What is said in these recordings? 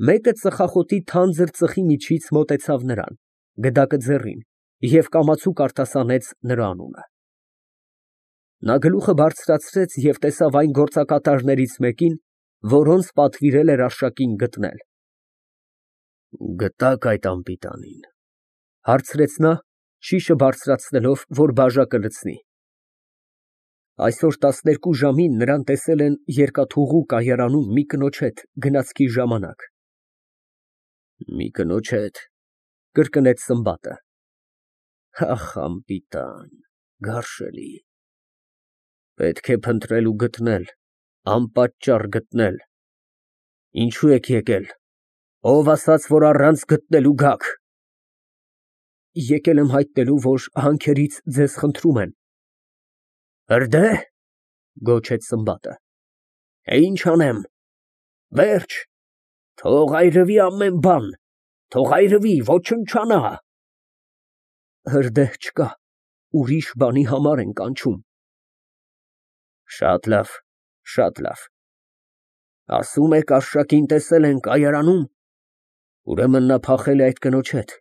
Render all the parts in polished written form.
Մեկը ծխախոտի թանձր ծխի միջից մոտեցավ նրան, գդակը ձեռին, և կամացուկ արտասանեց նրա անունը։ Նա գլուխը բարձրացրեց և տեսավ այն գործակատարներից մեկին, որոնց պատվիրել էր արշակին գտնել։ ֊ Գտա՞ք այդ անպիտանին, ֊ հարցրեց նա, շիշը բարձրացնելով, որ բաժակը լցնի։ Այսօր 12 ժամին նրան տեսել են երկաթուղու կայարանում մի կնոջ հետ գնացքի ժամանակ։ ֊ Մի կնոջ հետ, ֊ կրկնեց Սմբատը։ Ախ, անպիտան, գարշելի։ Պետք է փնտրել ու գտնել, անպատճառ գտնել։ Ինչո՞ւ եք եկել, ով ասաց, որ առանց գտնելու գաք։ Եկել եմ հայտնելու, որ հանքերից ձեզ խնդրում են։ Հրդե՞հ, ֊ գոչեց Սմբատը։ Ինչ անեմ, վերջ, թող այրվի ամեն բան, թող այրվի, ոչնչանա։ Հրդեհ չկա, ուրիշ բանի համար են կանչում։ Շատ լավ, շատ լավ։ Ասում եք արշակին տեսել են կայարանում, ուրեմն նա փախել է այդ կնոջ հետ։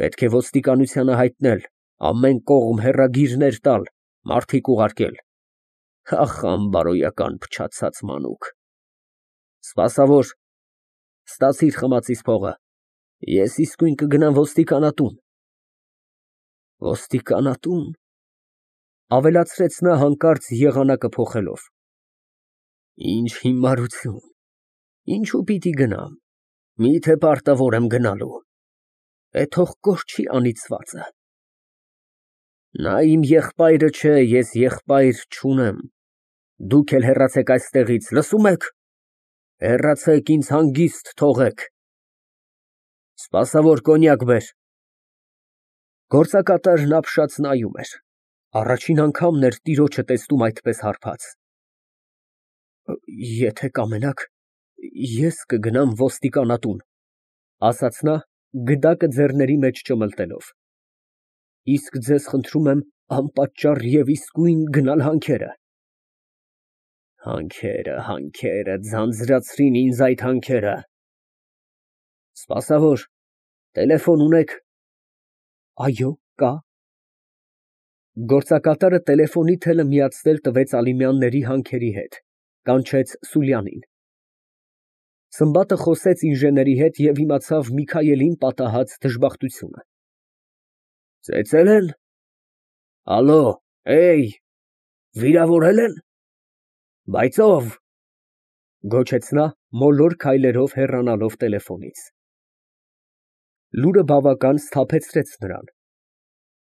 Պետք է ոստիկանությանը հայտնել, ամեն կողմ հեռագիրներ տալ, մարդիկ ուղարկել։ Ախ, անբարոյական փչացած մանուկ։ Սպասավոր, ստացիր խմածիս փողը, ես իսկույն կգնամ ոստիկանատուն։ Ոստիկանատուն, ֊ ավելացրեց նա հանկարծ եղանակը փոխելով։ Ինչ հիմարություն, ինչու պիտի գնամ, միթե պարտավոր եմ գնալու։ Թող կորչի անիծվածը։ Նա իմ եղբայրը չէ, ես եղբայր չունեմ։ Դուք էլ հեռացեք այստեղից, լսո՞ւմ եք։ Հեռացեք, ինձ հանգիստ թողեք։ Սպասավոր, կոնյակ բեր։ Գործակատարն ապշած նայում էր։ Առաջին անգամն էր տիրոջը տեսնում այդպես հարբած։ Եթե կամենաք, ես կգնամ ոստիկանատուն, ֊ ասաց նա, գդակը ձեռների մեջ չմլտելով։ Իսկ ձեզ խնդրում եմ անպատճառ և իսկույն գնալ հանքերը։ Հանքերը, ձանձրացրին ինձ այդ հանքերը։ Սպասավոր, տելեֆոն ունե՞ք։ Այո, կա։ Գործակատարը տելեֆոնի թելը միացնել տվեց Ալիմյանների հանքերի հետ, կանչեց Սուլյանին։ Սմբատը խոսեց ինժեների հետ և իմացավ Միքայելին պատահած դժբախտությունը։ Ծեծե՞լ են։ Ալո, վիրավորե՞լ են։ Բայց ո՞վ, ֊ գոչեց նա, մոլոր քայլերով հեռանալով տելեֆոնից։ Լուրը բավական սթափեցրեց նրան։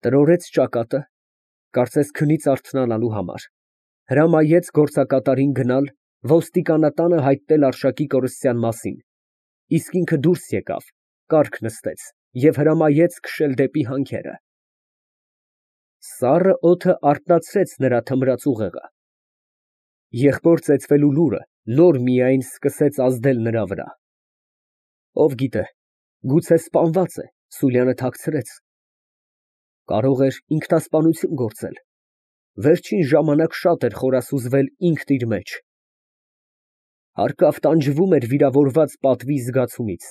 Տրորեց ճակատը, կարծես քնից արթնանալու համար, հրամայեց գործակատարին գնալ ոստիկանատանը հայտնել արշակի կորստյան մասին, իսկ ինքը դուրս եկավ, կառք նստեց և հրամայեց քշել դեպի հանքերը։ Սառը օդը արթնացրեց նրա թմրած ուղեղը։ Եղբոր ծեծվելու լուրը նոր միայն սկսեց ազդել նրա վրա։ Ով գիտե, գուցե սպանված է, Սուլյանը թաքցրեց։ Կարող էր ինքնասպանություն գործել։ Վերջին ժամանակ շատ էր խորասուզվել ինքն իր մեջ։ Հարկավ տանջվում էր վիրավորված պատվի զգացումից։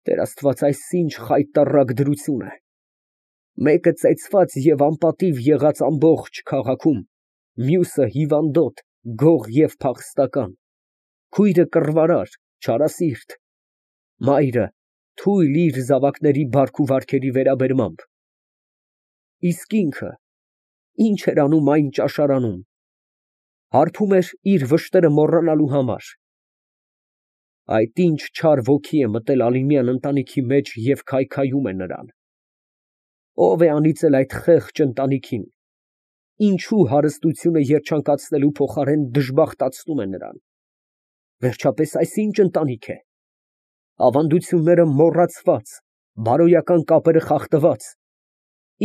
Տեր Աստված, այս ինչ խայտառակ դրություն է։ Մեկը ծեծված և անպատիվ եղած ամբողջ քաղաքում, մյուսը հիվանդոտ, գող և փախստական, քույրը կռվարար, չարասիրտ, մայրը թույլ իր զավակների բարք ու վարքերի վերաբերմամբ։ Իսկ ինքը ինչ էր անում այն ճաշարանում։ Հարբում էր իր վշտերը մոռանալու համար։ Այդ ինչ չար ոգի է մտել Ալիմյան ընտանիքի մեջ և քայքայում է նրան։ Ո՞վ է անիծել այդ խեղճ ընտանիքին։ Ինչու հարստությունը երջանկացնելու փոխարեն դժբախտացնում է նրան։ Վերջապես այս ինչ ընտանիք է։ Ավանդությունները մոռացված, բարոյական կապերը խախտված։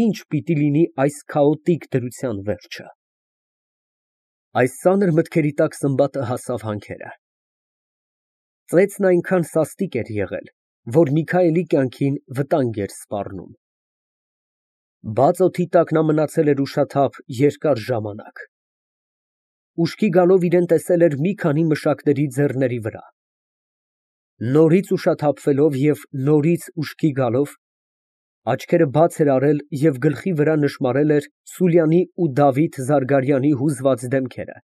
Ի՞նչ պիտի լինի այս քաոտիկ դրության վերջը։ Այս ծանր մտքերի տակ Սմբատը հասավ հանքերը։ Ծեծն այնքան սաստիկ էր եղել, որ Միքայելի կյանքին վտանգ էր սպառնում։ Բաց օդի տակ նա մնացել էր ուշաթափ երկար ժամանակ։ Ուշքի գալով իրան տեսել էր մի քանի մշակների ձեռների վրա։ Նորից ուշաթափվելով և նորից ուշքի գալով, աչքերը բաց էր արել և գլխի վրա նշմարել էր Սուլյանի ու Դավիթ Զարգարյանի հուզված դեմքերը,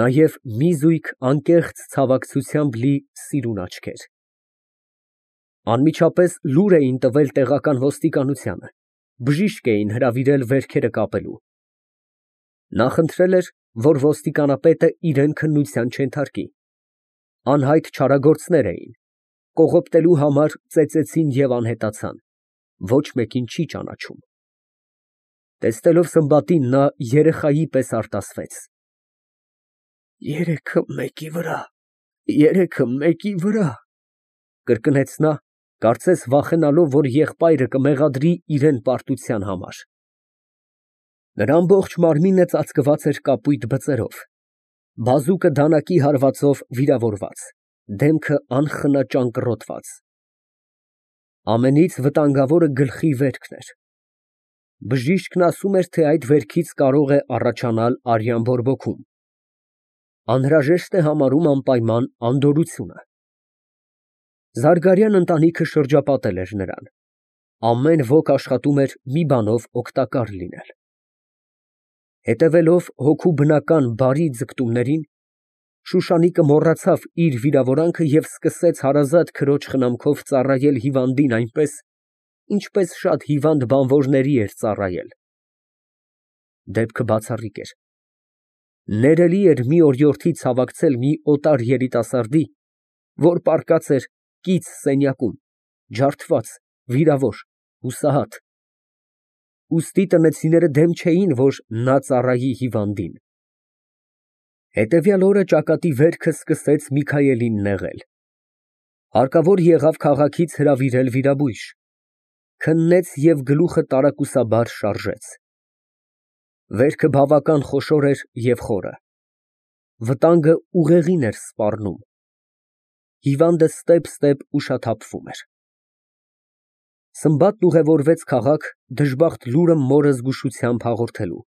նաև մի զույգ անկեղծ ցավակցությամբ լի սիրուն աչքեր։ Անմիջապես լուր էին տվել տեղական ոստիկանությանը, բժիշկ էին հրավիրել վերքերը կապելու։ Նա խնդրել էր, որ ոստիկանապետը իրան քննության չենթարկի։ Անհայտ չարագործներ էին, կողոպտելու համար ծեծեցին և անհետացան, ոչ մեկին չի ճանաչում։ Տեսնելով Սմբատին, նա երեխայի պես արտասվեց. «Երեքը մեկի վրա», կրկնեց նա, կարծես վախենալով, որ եղբայրը կմեղադրի իրան պարտության համար։ Նրա ամբողջ մարմինը ծածկված էր կապույտ բծերով, բազուկը դանակի հարվածով վիրավորված, դեմքը անխնա ճանկռոտված։ Ամենից վտանգավորը գլխի վերքն էր։ Բժիշկն ասում էր, թե այդ վերքից կարող է առաջանալ արյան բորբոքում։ Անհրաժեշտ է համարում անպայման անդորրությունը։ Զարգարյան ընտանիքը շրջապատել էր նրան։ Ամեն ոք աշխատում էր մի բանով օգտակար լինել։ Հետևելով հոգու բնական բարի ձգտումներին, Շուշանիկը մոռացավ իր վիրավորանքը և սկսեց հարազատ քրոջ խնամքով ծառայել հիվանդին այնպես, ինչպես շատ հիվանդ բանվորների էր ծառայել։ Դեպքը բացառիկ էր։ Ներելի էր մի օրիորդի ցավակցել մի օտար երիտասարդի, որ պառկած էր կից սենյակում, ջարդված, վիրավոր, հուսահատ։ Ուստի տնեցիները դեմ չէին, որ նա ծառայի հիվանդին։ Հետևյալ օրը ճակատի վերքը սկսեց Միքայելին նեղել։ Հարկավոր եղավ քաղաքից հրավիրել վիրաբույժ։ Քննեց և գլուխը տարակուսաբար շարժեց։ Վերքը բավական խոշոր էր և խորը։ Վտանգը ուղեղին էր սպառնում։ Հիվանդը ստեպ ուշաթափվում էր։ Սմբատն ուղևորվեց քաղաք դժբախտ լուրը մորը զգուշությամբ հաղորդելու։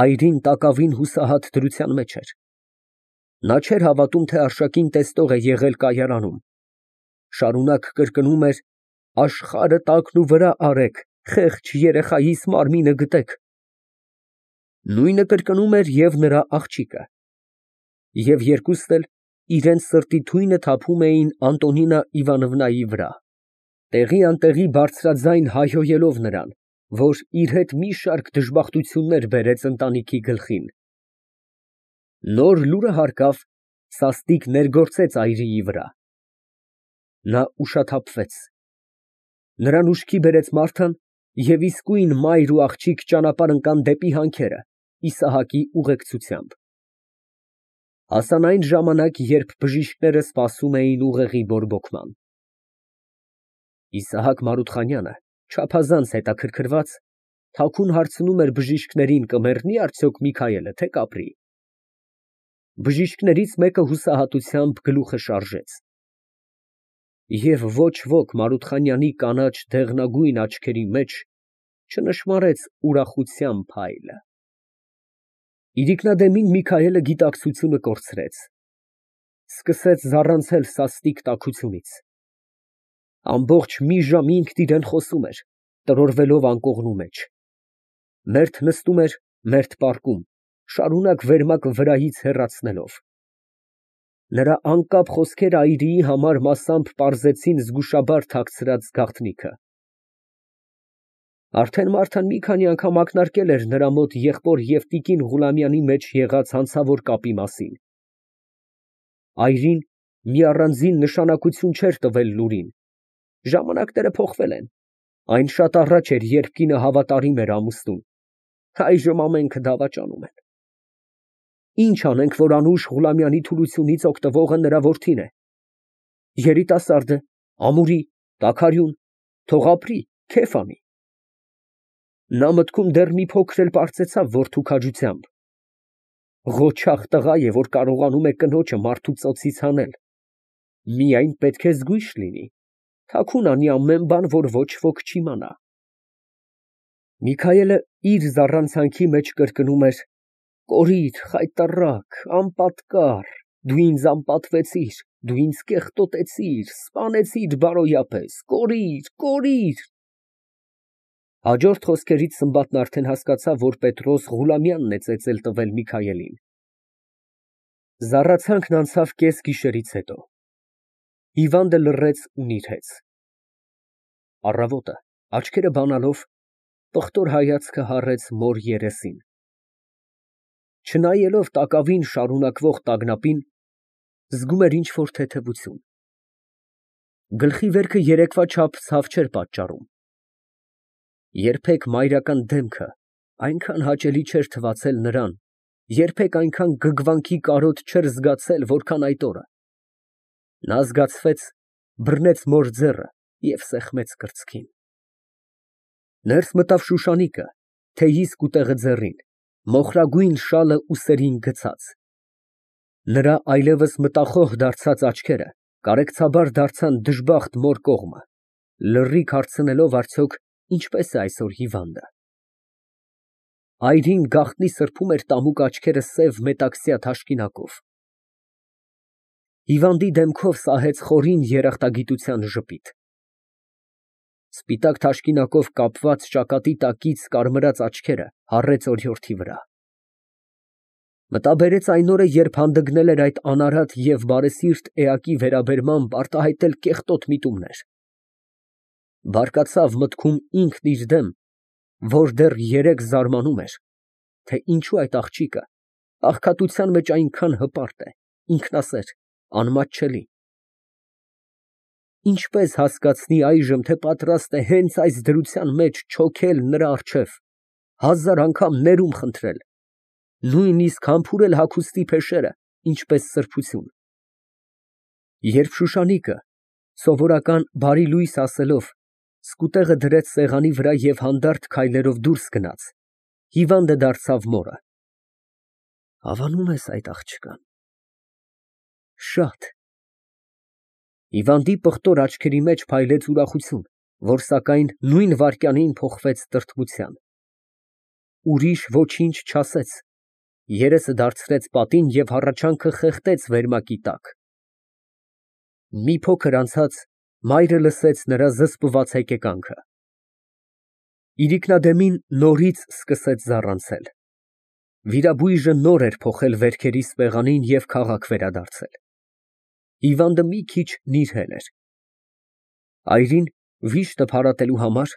Այրին տակավին հուսահատ դրության մեջ էր։ Նա չէր հավատում, թե Արշակին տեսնող է եղել կայարանում։ Շարունակ կրկնում էր. «Աշխարհը տակնուվրա արեք, խեղճ երեխայիս մարմինը գտեք»։ Նույնը կրկնում էր և նրա աղջիկը։ Եվ երկուսն էլ իրենց սրտի թույնը թափում էին Անտոնինա Իվանովնայի վրա, տեղի բարձրաձայն հայհոյելով նրան, որ իր հետ մի շարք դժբախտություններ բերեց ընտանիքի գլխին։ Նոր լուրը հարկավ, սաստիկ ներգործեց այրիի վրա։ Նա ուշաթափվեց։ Նրան ուշքի բերեց Մարթան և իսկույն մայր ու աղջիկ ճանապարհ ընկան դեպի հանքերը, Իսահակի ուղեկցությամբ։ Հասան այն ժամանակ, երբ բժիշկները սպասում էին ուղեղի բորբոքման։ Իսահակ Մարութխանյանը, չափազանց հետաքրքրված, թաքուն հարցնում էր բժիշկներին, կմեռնի՞ արդյոք Միքայելը, թե կապրի։ Բժիշկներից մեկը հուսահատությամբ գլուխը շարժեց։ Եվ ոչ ոք Մարութխանյանի կանաչ դեղնագույն աչքերի մեջ չնշմարեց ուրախության փայլը։ Իրիկնադեմին Միքայելը գիտակցությունը կորցրեց։ Սկսեց զառանցել սաստիկ տաքությունից։ Ամբողջ մի ժամ ինքն իրան խոսում էր, տրորվելով անկողնու մեջ։ Մերթ նստում էր, մերթ պառկում, շարունակ վերմակ վրայից հեռացնելով։ Նրա անկապ խոսքերը այրիի համար մասամբ պարզեցին զգուշաբար թաքցրած գաղտնիքը։ Արդեն Մարթան մի քանի անգամ ակնարկել էր նրա մոտ եղբոր և տիկին Ղուլամյանի մեջ եղած հանցավոր կապի մասին։ Այրին մի առանձին նշանակություն չէր տվել լուրին։ Ժամանակները փոխվել են։ Այն շատ առաջ էր, երբ կինը հավատարիմ էր ամուսնուն, այժմ ամենքը դավաճանում են։ Ինչ անենք, որ անուշ Ղուլամյանի թուլությունից օգտվողը նրա որդին է։ Երիտասարդ է, ամուրի, տաքարյուն, թող ապրի, քեֆ անի։ Նա մտքում դեռ մի փոքր էլ պարծեցավ որդու քաջությամբ։ Ղոչաղ տղա է, որ կարողանում է կնոջը մարդու ծոցից հանել։ Միայն պետք է զգույշ լինի, թաքուն անի ամեն բան, որ ոչ ոք չիմանա։ Միքայելը իր զառանցանքի մեջ կրկնում էր. «Կորիր, խայտառակ, անպատկառ, դու ինձ անպատվեցիր, Դու ինձ կեղտոտեցիր, սպանեցիր բարոյապես, կորիր։ Հաջորդ խոսքերից Սմբատն արդեն հասկացավ, որ Պետրոս Ղուլամյանն է ծեծել տվել Միքայելին։ Զառացանքն անցավ կես գիշերից հետո։ Հիվանդը լռեց ու նիրհեց։ Առավոտը, աչքերը բանալով, պղտոր հայացքը հառեց մոր երեսին։ Չնայելով տակավին շարունակվող տագնապին, զգում էր ինչ֊որ թեթևություն։ Գլխի վերքը երեկվա չափ ցավ չէր պատճառում։ Երբեք մայրական դեմքը այնքան հաճելի չէր թվացել նրան, երբեք այնքան գգվանքի կարոտ չէր զգացել, որքան այդ օրը։ Նա զգացվեց, բռնեց մոր ձեռը և սեղմեց կրծքին։ Ներս մտավ Շուշանիկը, թեյի սկուտեղը ձեռին, մոխրագույն շալը ուսերին գցած։ Նրա այլևս մտախոհ դարձած աչքերը կարեկցաբար դարձան դժբախտ մոր կողմը, լռիք հարցնելով արդյոք ինչպես է այսօր հիվանդը։ Այրին գաղտնի սրբում էր տամուկ աչքերը սև մետաքսյա թաշկինակով։ Հիվանդի դեմքով սահեց խորին երախտագիտության ժպիտ։ Սպիտակ թաշկինակով կապված ճակատի տակից կարմրած աչքերը հառեց օրիորդի վրա։ Մտաբերեց այն օրը, երբ հանդգնել էր այդ անարատ և բարեսիրտ էակի վերաբերմամբ արտահայտել կեղտոտ միտումներ։ Բարկացավ մտքում ինքն իր դեմ, որ դեռ երեկ զարմանում էր, թե ինչու այդ աղջիկը աղքատության մեջ այնքան հպարտ է, ինքնասեր, անմատչելի։ Ինչպես հասկացնի այժմ, թե պատրաստ է հենց այս դրության մեջ չոքել նրա առջև, 1000 անգամ ներում խնդրել, նույնիսկ համբուրել հագուստի փեշերը, ինչպես սրբություն։ Երբ Շուշանիկը, սովորական բարի լույս ասելով, սկուտեղը դրեց սեղանի վրա և հանդարտ քայլերով դուրս գնաց, հիվանդը դարձավ մորը։ Հավանում ես այդ աղջկան։ Շատ։ Հիվանդի պղտոր աչքերի մեջ փայլեց ուրախություն, որ սակայն նույն վայրկյանին փոխվեց տրտմության։ Ուրիշ ոչինչ չասեց, երեսը դարձրեց պատին և հառաչանքը խեղդեց վերմակի տակ։ Մի փոքր անցած մայրը լսեց նրա զսպված հեկեկանքը։ Իրիկնադեմին նորից սկսեց զառանցել։ Վիրաբույժը նոր էր փոխել վերքերի սպեղանին և քաղաք վերադարձել։ Հիվանդը մի քիչ նիրհել էր։ Այրին, վիշտը փարատելու համար,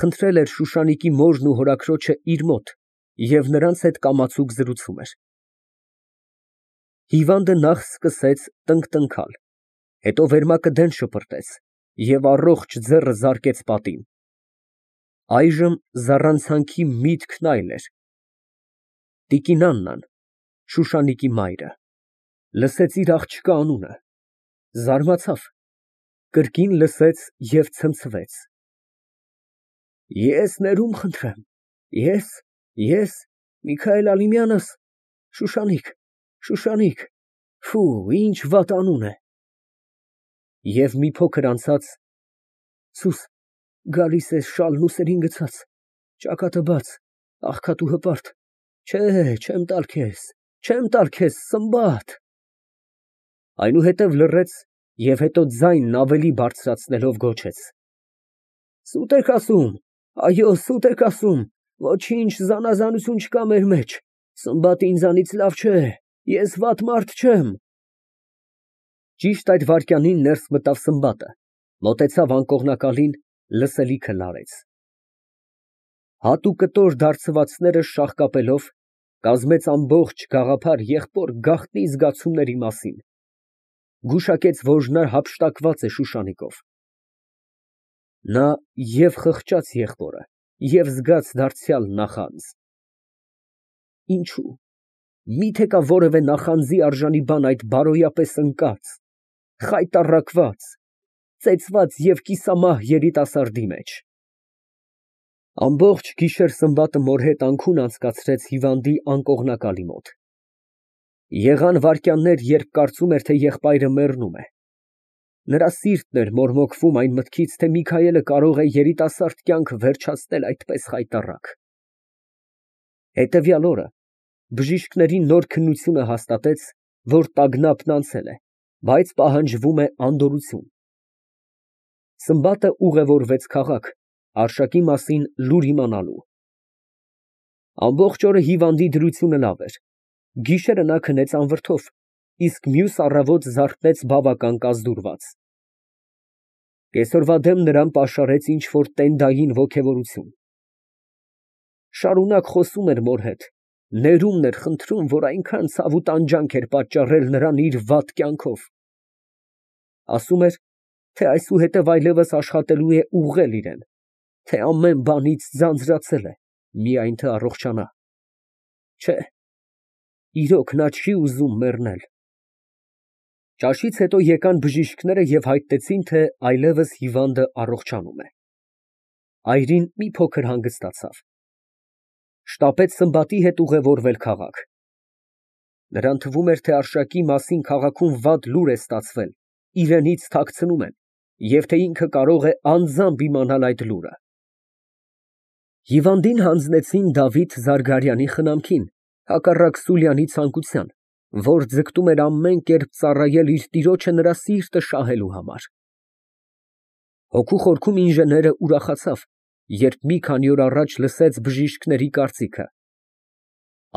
խնդրել էր Շուշանիկի մորն ու հորաքրոջը իր մոտ և նրանց հետ կամացուկ զրուցում էր։ Հիվանդը նախ սկսեց տնկտնքալ, հետո վերմակը դեն շպրտեց և առողջ ձեռը զարկեց պատին։ Այժմ զառանցանքի միտքն այլ էր։ Տիկին Աննան, Շուշանիկի մայրը, լսեց իր աղջկա անունը, զարմացավ, կրկին լսեց և ցնցվեց։ Ես ներում խնդրեմ, ես, Միքայել Ալիմյանս, Շուշանիկ, ֆու, ինչ վատ անուն է։ Եվ մի փոքր անցած, սուս, գալիս ես շալն ուսերին գցած, ճակատը բաց, աղքատ ու հպարտ, չէ, չեմ տալ քեզ, Սմբատ։ Այնուհետև լռեց և հետո ձայնն ավելի բարձրացնելով գոչեց. Սուտ եք ասում, այո, սուտ եք ասում, ոչինչ զանազանություն չկա մեր մեջ, Սմբատը ինձանից լավ չէ, ես վատ մարդ չեմ։ Ճիշտ այդ վայրկյանին ներս մտավ Սմբատը, մոտեցավ անկողնակալին, լսելիքը լարեց։ Հատ ու կտոր դարձվածները շաղկապելով, կազմեց ամբողջ գաղափար եղբոր գաղտնի զգացումների մասին։ Գուշակեց, որ նա հափշտակված է Շուշանիկով։ Նա և խղճաց եղբորը, և զգաց դարձյալ նախանձ։ Ինչո՞ւ։ Մի՞թե կա որևէ նախանձի արժանի բան այդ բարոյապես ընկած, խայտառակված, ծեծված և կիսամահ երիտասարդի մեջ։ Ամբողջ գիշեր Սմբատը մոր հետ անքուն անցկացրեց հիվանդի անկողնակալի մոտ։ Եղան վայրկյաններ, երբ կարծում էր, թե եղբայրը մեռնում է։ Նրա սիրտն էր մորմոքվում այն մտքից, թե Միքայելը կարող է երիտասարդ կյանքը վերջացնել այդպես խայտառակ։ Հետևյալ օրը բժիշկների նոր քննությունը հաստատեց, որ տագնապն անցել է, Բայց պահանջվում է անդորրություն։ Սմբատը ուղևորվեց քաղաք Արշակի մասին լուր իմանալու։ Ամբողջ օրը հիվանդի դրությունը լավ էր։ Գիշերը նա քնեց անվրդով, իսկ մյուս առավոտ զարթնեց բավական կազդուրված։ Կեսօրվա դեմ նրան պաշարեց ինչ֊որ տենդային ոգևորություն։ Շարունակ խոսում էր մոր հետ, ներումն էր խնդրում, որ այնքան ցավ ու տանջանք էր պատճառել նրան իր վատ կյանքով։ Ասում էր, թե այսուհետև այլևս աշխատելու է ուղղել իրան, թե ամեն բանից ձանձրացել է, միայն թե առողջանա։ Չէ, իրոք նա չի ուզում մեռնել։ Ճաշից հետո եկան բժիշկները և հայտնեցին, թե այլևս հիվանդը առողջանում է։ Այրին մի փոքր հանգստացավ։ Շտապեց Սմբատի հետ ուղևորվել քաղաք։ Նրան թվում էր, թե Արշակի մասին քաղաքում վատ լուր է ստացվել, իրենից թաքցնում են, և թե ինքը կարող է անձամբ իմանալ այդ լուրը։ Հիվանդին հանձնեցին Դավիթ Զարգարյանի խնամքին, հակառակ Սուլյանի ցանկության, որ ձգտում էր ամեն կերպ ծառայել իր տիրոջը նրա սիրտը շահելու համար։ Հոգու խորքում ինժեները ուրախացավ, երբ մի քանի օր առաջ լսեց բժիշկների կարծիքը։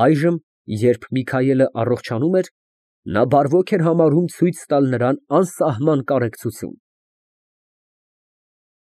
Այժմ, երբ Միքայելը առողջանում էր, նա բարվոք էր համարում ցույց տալ նրան անսահման կարեկցություն։